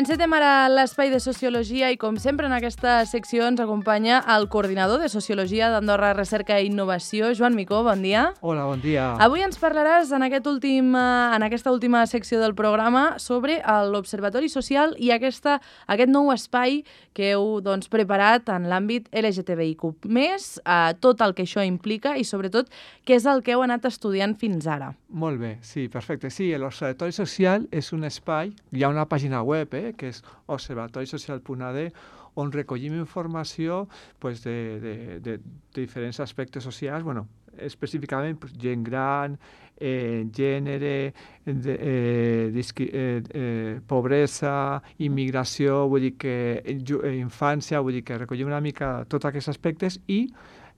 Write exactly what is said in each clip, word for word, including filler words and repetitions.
Encetem ara l'espai de Sociologia i, com sempre, en aquesta secció ens acompanya el coordinador de Sociologia d'Andorra Recerca i Innovació, Joan Micó. Bon dia. Hola, bon dia. Avui ens parlaràs en, aquest últim, en aquesta última secció del programa sobre l'Observatori Social i aquesta, aquest nou espai que heu doncs, preparat en l'àmbit L G T B I Q més, eh, tot el que això implica i, sobretot, què és el que heu anat estudiant fins ara. Molt bé, sí, perfecte. Sí, l'Observatori Social és un espai, hi ha una pàgina web, eh, que és observatori social punt a d, on recollim informació pues, de, de, de, de diferents aspectes socials, bueno, específicament pues, gent gran, eh, gènere, de, eh, disqui, eh, eh, pobresa, immigració, vull dir que eh, infància, vull dir que recollim una mica tots aquests aspectes i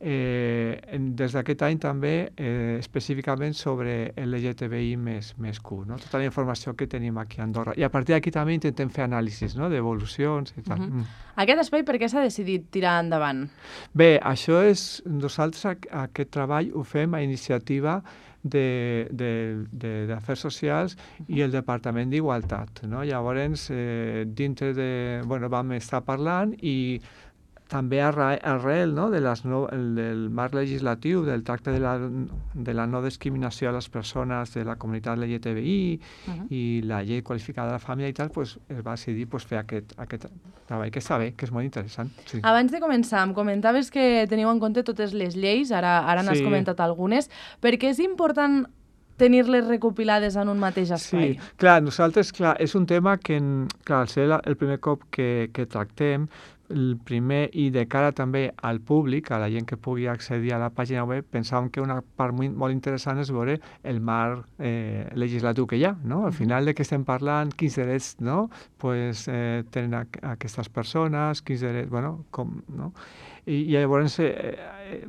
Eh, des d'aquest any també eh, específicament sobre L G T B I més, més Q, no? Tota la informació que tenim aquí a Andorra. I a partir d'aquí també intentem fer anàlisis, no? D'evolucions i tal. Uh-huh. Mm. Aquest espai per què s'ha decidit tirar endavant? Bé, això és... Nosaltres aquest treball ho fem a iniciativa d'Afers Socials i el Departament d'Igualtat, no? Llavors, eh, dintre de... Bueno, vam estar parlant i també arrel no, de les no, el, del marc legislatiu del tracte de la, de la no discriminació a les persones de la comunitat L G T B I uh-huh. i la llei qualificada de la família i tal, pues, es va decidir pues, fer aquest, aquest treball que està bé, que és molt interessant. Sí. Abans de començar, em comentaves que teniu en compte totes les lleis, ara, ara n'has sí. comentat algunes, perquè és important tenir-les recopilades en un mateix espai. Sí, clar, nosaltres, clar, és un tema que, clar, al ser el primer cop que, que tractem, el primer i de cara també al públic, a la gent que pugui accedir a la pàgina web, pensàvem que una part molt, molt interessant és veure el marc eh, legislatiu que hi ha, no? Al final de què estem parlant, quins drets, no? Pues, eh, tenen a, a aquestes persones, quins drets, bueno, com, no? I, i llavors eh,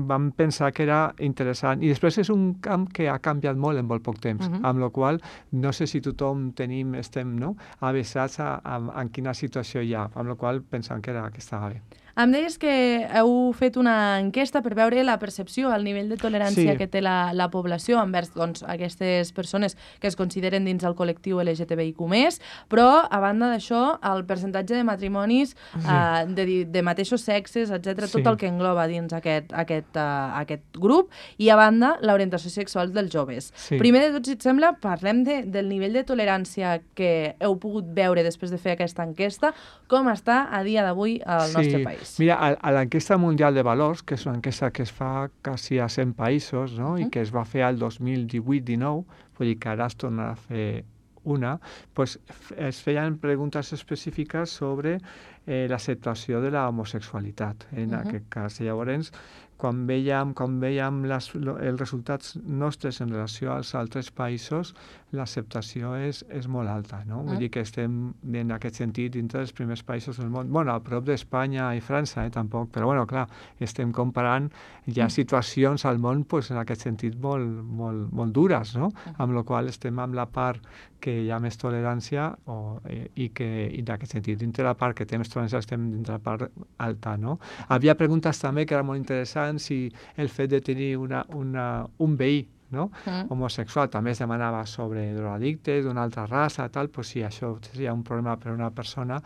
vam pensar que era interessant. I després és un camp que ha canviat molt en molt poc temps, uh-huh. amb la qual no sé si tothom tenim, estem no? avesats a, a, a en quina situació hi ha, amb la qual pensam que, era, que estava bé. Em deies que heu fet una enquesta per veure la percepció, el nivell de tolerància sí. que té la, la població envers doncs, aquestes persones que es consideren dins el col·lectiu L G T B I Q més, però, a banda d'això, el percentatge de matrimonis sí. eh, de, de mateixos sexes, etcètera, sí. tot el que engloba dins aquest, aquest, uh, aquest grup, i, a banda, l'orientació sexual dels joves. Sí. Primer de tot, si et sembla, parlem de, del nivell de tolerància que heu pogut veure després de fer aquesta enquesta, com està a dia d'avui al sí. nostre país. Mira, a, a l'enquesta mundial de valors, que és una enquesta que es fa quasi a cent països, no? Uh-huh. I que es va fer al dos mil divuit dinou, vull dir que ara es torna a fer una, pues, es feien preguntes específiques sobre eh, l'acceptació de la homosexualitat, en uh-huh. aquest cas. Llavors, quan veiem, quan veiem les, els resultats nostres en relació als altres països, l'acceptació és, és molt alta, no? Vull uh-huh. dir que estem, en aquest sentit, dintre dels primers països del món. Bueno, a prop d'Espanya i França, eh, tampoc, però bueno, clar, estem comparant, hi ha situacions al món, pues, en aquest sentit, molt, molt, molt dures, no? Uh-huh. Amb la qual estem amb la part que hi ha més tolerància o, eh, i que, i en aquest sentit, dintre la part que té més tolerància, estem dintre la part alta, no? Havia preguntes també que eren molt interessants, si el fet de tenir una, una, un veí no? Mm. homosexual també es demanava sobre drogadictes d'una altra raça, tal, pues sí, això seria un problema per a una persona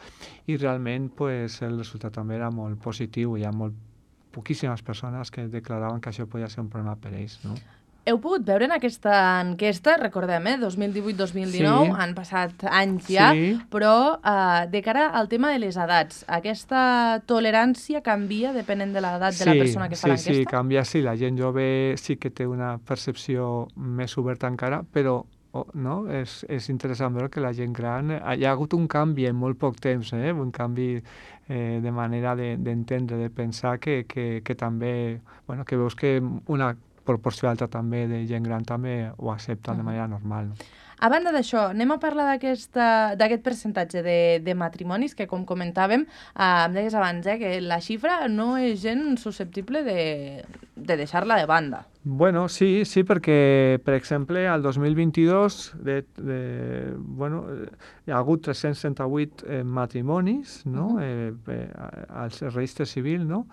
i realment pues, el resultat també era molt positiu, hi ha molt poquíssimes persones que declaraven que això podia ser un problema per ells, no? Heu pogut veure en aquesta enquesta, recordem, eh, dos mil divuit dos mil dinou, sí. han passat anys ja, sí. però eh, de cara al tema de les edats, aquesta tolerància canvia depenent de l'edat sí, de la persona que sí, fa l'enquesta? Sí, sí, canvia, sí. La gent jove sí que té una percepció més oberta encara, però oh, no? és, és interessant veure que la gent gran... Hi ha hagut un canvi en molt poc temps, eh? un canvi eh, de manera d'entendre, de, de pensar que, que, que també... Bueno, que veus que una proporció alta també de gent gran també ho accepta uh-huh. de manera normal. A banda d'això, anem a parlar d'aquest percentatge de, de matrimonis que, com comentàvem, eh, em deies abans, eh, que la xifra no és gens susceptible de, de deixar-la de banda. Bueno, sí, sí, perquè, per exemple, al dos mil vint-i-dos de, de, bueno, hi ha hagut tres-cents trenta-vuit eh, matrimonis no? uh-huh. eh, eh, al registre civil, no?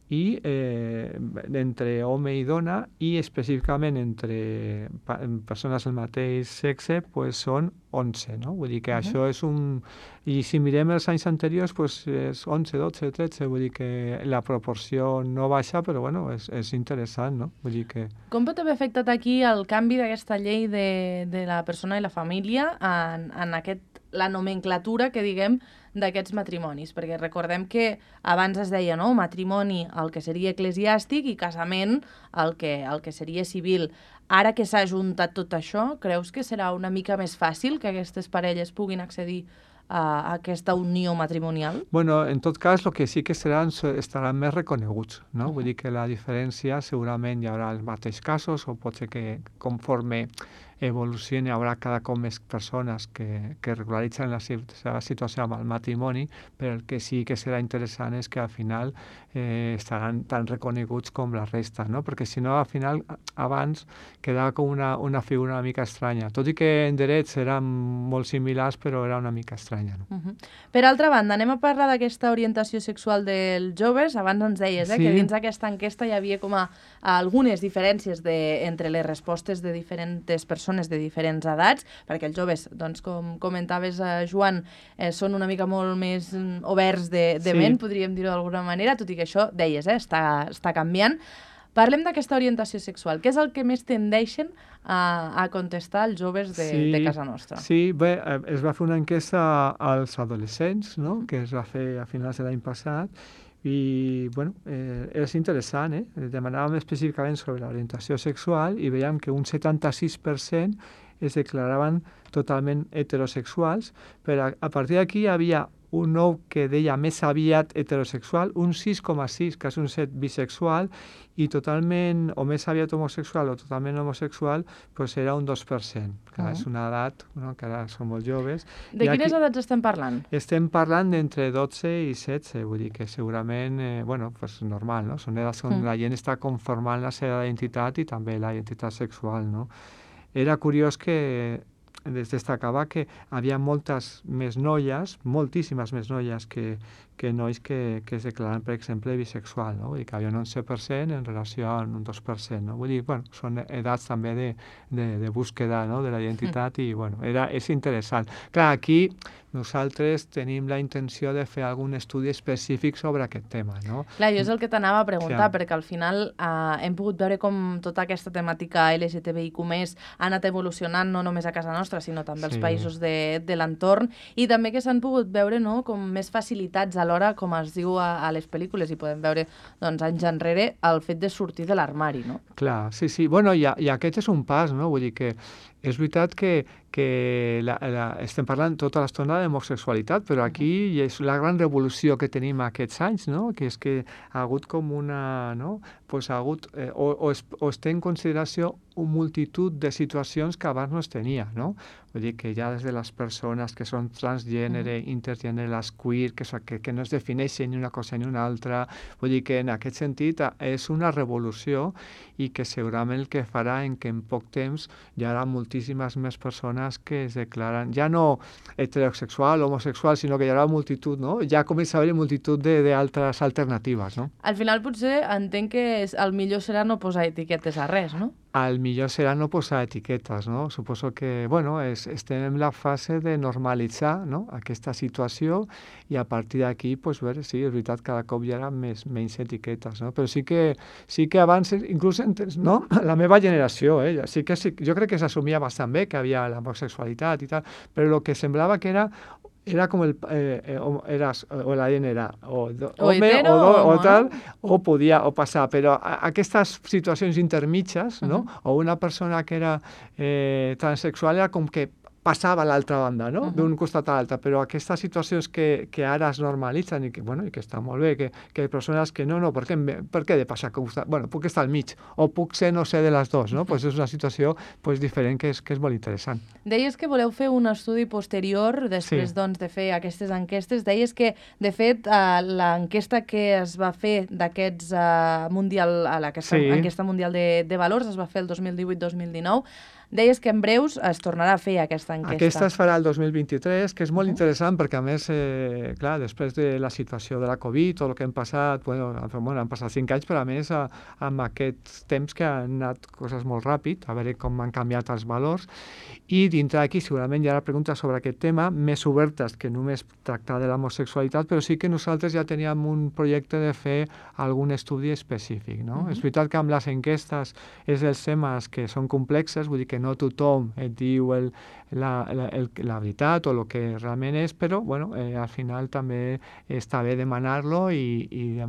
i eh, entre home i dona i específicament entre pa persones del mateix sexe pues, són onze, no? Vull dir que Uh-huh. això és un... I si mirem els anys anteriors, pues és onze, dotze, tretze, vull dir que la proporció no baixa, però bueno, és, és interessant, no? Vull dir que... Com pot haver afectat aquí el canvi d'aquesta llei de, de la persona i la família en, en aquest, la nomenclatura que diguem d'aquests matrimonis? Perquè recordem que abans es deia, no?, matrimoni el que seria eclesiàstic i casament el que, el que seria civil. Ara que s'ha juntat tot això, creus que serà una mica més fàcil que aquestes parelles puguin accedir a aquesta unió matrimonial? Bueno, en tot cas, el que sí que seran, estaran més reconeguts, no? Uh-huh. Vull dir que la diferència segurament hi haurà els mateixos casos o pot ser que conforme evolucioni hi haurà cada cop més persones que, que regularitzen la seva situació amb el matrimoni, però el que sí que serà interessant és que al final eh, estaran tan reconeguts com la resta, no? Perquè si no, al final, abans quedava com una, una figura una mica estranya, tot i que en drets eren molt similars, però era una mica estranya. No? Uh-huh. Per altra banda, anem a parlar d'aquesta orientació sexual dels joves. Abans ens deies eh, sí. que dins d'aquesta enquesta hi havia com a, a algunes diferències de, entre les respostes de diferents persones de diferents edats, perquè els joves, doncs, com comentaves, eh, Joan, eh, són una mica molt més oberts de, de sí. ment, podríem dir-ho d'alguna manera, tot i que això, deies, eh, està, està canviant. Parlem d'aquesta orientació sexual. Què és el que més tendeixen a, a contestar els joves de, sí, de casa nostra? Sí, bé, es va fer una enquesta als adolescents, no?, que es va fer a finals de l'any passat, i, bueno, eh, és interessant, eh? Demanàvem específicament sobre l'orientació sexual i veiem que un setanta-sis per cent es declaraven totalment heterosexuals, però a, a partir d'aquí hi havia un nou que deia més aviat heterosexual, un sis coma sis, que és un set bisexual, i totalment, o més aviat homosexual o totalment homosexual, doncs era un dos per cent. Clar, uh-huh. És una edat, no?, que ara són molt joves. De I quines aquí edats estem parlant? Estem parlant d'entre dotze i setze, vull dir que segurament, eh, bueno, pues normal, no? Són edats on uh-huh. la gent està conformant la seva identitat i també la identitat sexual, no? Era curiós que es destacava que havia moltes més noies, moltíssimes més noies que, que nois que, que es declaren, per exemple, bisexual, no? Vull dir que havia un onze per cent en relació a un dos per cent, no? Vull dir, bueno, són edats també de, de, de búsqueda, no?, de la identitat i, bueno, era, és interessant. Clar, aquí nosaltres tenim la intenció de fer algun estudi específic sobre aquest tema, no? Clar, jo és el que t'anava a preguntar, sí. perquè al final eh, hem pogut veure com tota aquesta temàtica L G T B I Q més ha anat evolucionant no només a casa nostra, sinó també als sí. països de, de l'entorn, i també que s'han pogut veure, no?, com més facilitats alhora, com es diu a, a les pel·lícules, i podem veure, doncs, anys enrere, el fet de sortir de l'armari, no? Clar, sí, sí. Bueno, i, i aquest és un pas, no? Vull dir que és veritat que, que la, la, estem parlant tota l'estona d'homosexualitat, però aquí uh-huh. és la gran revolució que tenim aquests anys, no?, que és que ha hagut com una, no?, pues ha hagut, eh, o, o, es, o es té en consideració una multitud de situacions que abans no es tenia, no? Vull dir que ja des de les persones que són transgènere, uh-huh. intergènere, les queer, que, que, que no es defineixen ni una cosa ni una altra, vull dir que en aquest sentit és una revolució i que segurament el que farà en que en poc temps hi haurà moltíssimes més persones que es declaren, ja no heterosexual, homosexual, sinó que hi haurà multitud, no? Ja comença a haver multitud d'altres alternatives, no? Al final potser entenc que és, el millor serà no posar etiquetes a res, no? El millor serà no posar etiquetes, no? Suposo que, bueno, és, estem en la fase de normalitzar, no?, aquesta situació i a partir d'aquí, pues, veure, sí, és veritat, cada cop hi haurà més, menys etiquetes, no? Però sí que, sí que abans, inclús, no?, la meva generació, eh? Sí que sí, jo crec que s'assumia bastant bé que havia l'homosexualitat i tal, però el que semblava que era era com el, eh, o, eras, o la gent era o, do, o home hetero, o, do, o, o tal, o podia o passar, però a, aquestes situacions intermitges, no? Uh-huh. O una persona que era eh, transexual era com que passava a l'altra banda, no? Uh-huh. D'un costat a l'altre, però aquestes situacions que, que ara es normalitzen i que, bueno, i que està molt bé, que, que hi ha persones que no, no, per què, per què he de passar? Bueno, puc estar al mig, o puc ser no sé de les dues, no? Pues és una situació pues, diferent que és, que és molt interessant. Deies que voleu fer un estudi posterior després sí. doncs, de fer aquestes enquestes. Deies que, de fet, uh, l'enquesta que es va fer d'aquests uh, mundial, a aquesta sí. enquesta mundial de, de valors es va fer el dos mil divuit dos mil dinou. deies que en breus es tornarà a fer aquesta enquesta. Aquesta es farà el dos mil vint-i-tres, que és molt uh -huh. interessant perquè, a més, eh, clar, després de la situació de la Covid, tot el que hem passat, bueno, bueno han passat cinc anys, però a més, a, amb aquests temps que han anat coses molt ràpid, a veure com han canviat els valors, i dintre d'aquí segurament hi ha preguntes sobre aquest tema, més obertes que només tractar de l'homosexualitat, però sí que nosaltres ja teníem un projecte de fer algun estudi específic, no? Uh-huh. És veritat que amb les enquestes és els temes que són complexes, vull dir que no tothom et diu el, la, la, el, la veritat o el que realment és, però bueno, eh, al final també està bé demanar-lo i, i de,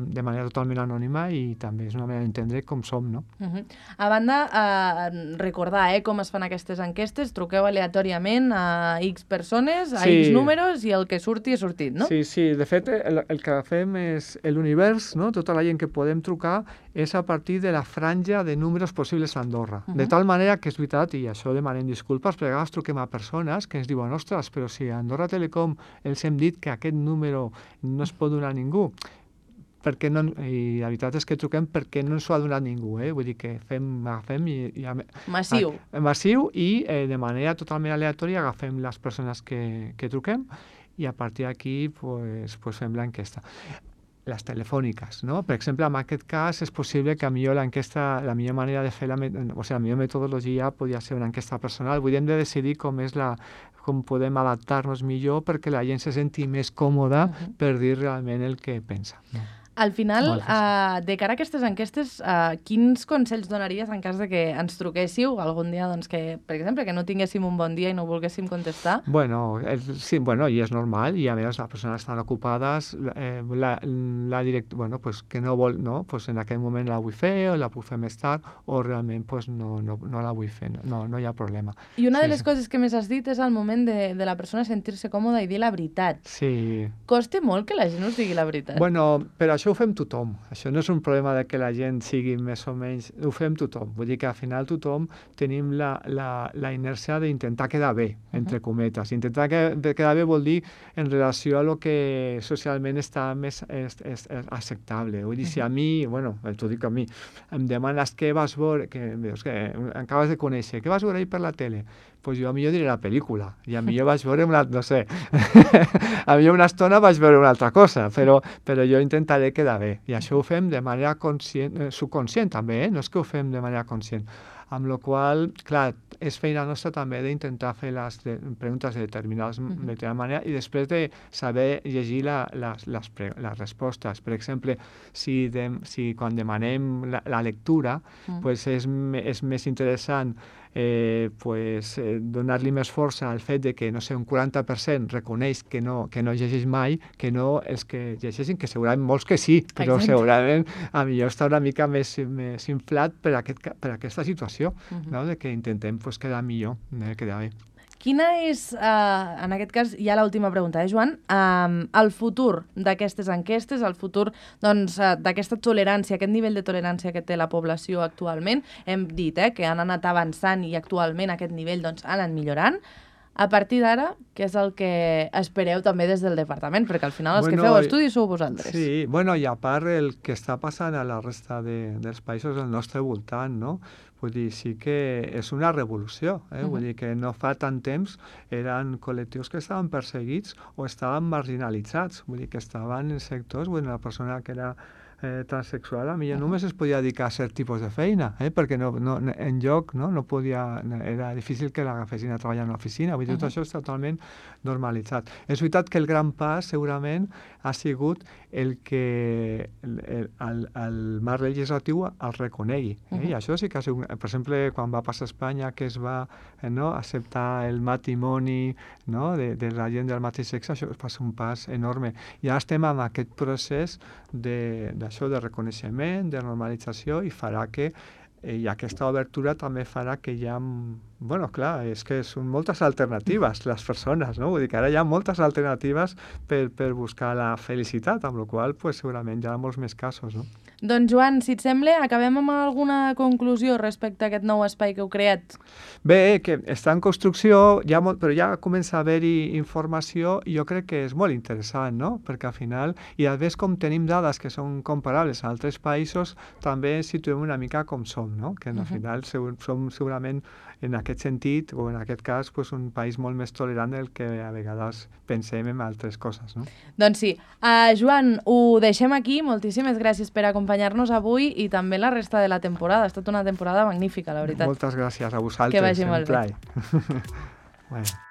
de manera totalment anònima, i també és una manera d'entendre com som, no? Uh-huh. A banda, eh, recordar eh, com es fan aquestes enquestes, truqueu aleatòriament a X persones, a sí. X números, i el que surti és sortit, no? Sí, sí, de fet el, el que fem és l'univers, no? Tota la gent que podem trucar és a partir de la franja de números possibles a Andorra. Uh-huh. De tal manera que és veritat, i això demanem disculpes, perquè a vegades truquem a persones que ens diuen, ostres, però si a Andorra Telecom els hem dit que aquest número no es pot donar a ningú, perquè no, i la veritat és que truquem perquè no ens ho ha donat ningú, eh? Vull dir que fem, agafem i... i massiu. A, massiu i eh, de manera totalment aleatòria agafem les persones que, que truquem i a partir d'aquí pues, pues fem l'enquesta. Les telefòniques, no? Per exemple, en aquest cas és possible que a millor l'enquesta, la millor manera de fer la, o sigui, la millor metodologia podria ser una enquesta personal. Vull dir, hem de decidir com és la, com podem adaptar-nos millor perquè la gent se senti més còmoda uh-huh. per dir realment el que pensa. No? Al final, uh, de cara a aquestes enquestes, uh, quins consells donaries en cas de que ens truquéssiu algun dia, doncs que, per exemple, que no tinguéssim un bon dia i no volguéssim contestar? Bueno, el, sí, bueno, i és normal, i a més les persones estan ocupades, eh, la, la direct, bueno, pues que no vol, no, pues en aquell moment la vull fer o la puc fer més tard o realment pues no, no, no la vull fer, no, no hi ha problema. I una sí, de les sí. coses que més has dit és el moment de, de la persona sentir-se còmoda i dir la veritat. Sí. Costa molt que la gent us digui la veritat. Bueno, però això ho fem tothom. Això no és un problema de que la gent sigui més o menys... Ho fem tothom. Vull dir que al final tothom tenim la, la, la inèrcia d'intentar quedar bé, entre uh-huh. cometes. Intentar que, quedar bé vol dir en relació a lo que socialment està més és, és, és acceptable. Vull dir, uh-huh. si a mi, bueno, t'ho dic a mi, em demanes què vas veure, que, veus, que acabes de conèixer, què vas veure ahir per la tele? Pues jo a millor diré la pel·lícula, i a millor vaig veure una, no sé, a millor una estona vaig veure una altra cosa, però, però jo intentaré quedar bé, i això ho fem de manera conscient, eh, subconscient també, eh? No és que ho fem de manera conscient, amb la qual cosa, clar, és feina nostra també d'intentar fer les de, preguntes de determinades uh-huh. de determinada manera i després de saber llegir la, les, les, pre, les respostes. Per exemple, si, de, si quan demanem la, la lectura, uh-huh. pues és, és més interessant Eh, pues, eh, donar-li més força al fet de que, no sé, un quaranta per cent reconeix que no, que no llegeix mai, que no els que llegeixin, que segurament molts que sí, però Exacte. segurament a millor està una mica més, més inflat per, aquest, per aquesta situació, uh-huh. no? De que intentem pues, quedar millor, eh, quedar bé. Quina és, uh, en aquest cas, ja l'última pregunta, eh, Joan? Um, el futur d'aquestes enquestes, el futur doncs, uh, d'aquesta tolerància, aquest nivell de tolerància que té la població actualment, hem dit eh, que han anat avançant i actualment aquest nivell doncs, ha anat millorant. A partir d'ara, què és el que espereu també des del departament? Perquè al final els bueno, que feu estudis sou vosaltres. Sí, bueno, i a part el que està passant a la resta de, dels països al nostre voltant, no? Vull dir, sí que és una revolució, eh? Uh-huh. Vull dir que no fa tant temps eren col·lectius que estaven perseguits o estaven marginalitzats, vull dir que estaven en sectors, bueno, la persona que era eh, transsexual, a mi ja només es podia dedicar a cert tipus de feina, eh? Perquè no, no, en lloc no, no podia, era difícil que l'agafessin a treballar en l'oficina, vull dir, tot uh-huh. això està totalment normalitzat. És veritat que el gran pas segurament ha sigut el que el, el, el, el marc legislatiu el reconegui. Eh? Uh-huh. I això sí que ha sigut, per exemple, quan va passar a Espanya que es va eh, no, acceptar el matrimoni no, de, de la gent del mateix sexe, això va ser un pas enorme. I ara estem en aquest procés de, d'això de reconeixement, de normalització, i farà que i aquesta obertura també farà que hi ha... Bueno, clar, és que són moltes alternatives les persones, no? Vull dir que ara hi ha moltes alternatives per, per buscar la felicitat, amb la qual cosa pues, segurament hi ha molts més casos, no? Doncs Joan, si et sembla, acabem amb alguna conclusió respecte a aquest nou espai que heu creat? Bé, que està en construcció, ja molt, però ja comença a haver-hi informació i jo crec que és molt interessant, no? Perquè al final, i a més com tenim dades que són comparables a altres països, també ens situem una mica com som, no? Que al final som segurament en aquest sentit, o en aquest cas, pues, un país molt més tolerant del que a vegades pensem en altres coses. No? Doncs sí. Uh, Joan, ho deixem aquí. Moltíssimes gràcies per acompanyar-nos avui i també la resta de la temporada. Ha estat una temporada magnífica, la veritat. Moltes gràcies a vosaltres. Que vagi molt bé. Bueno.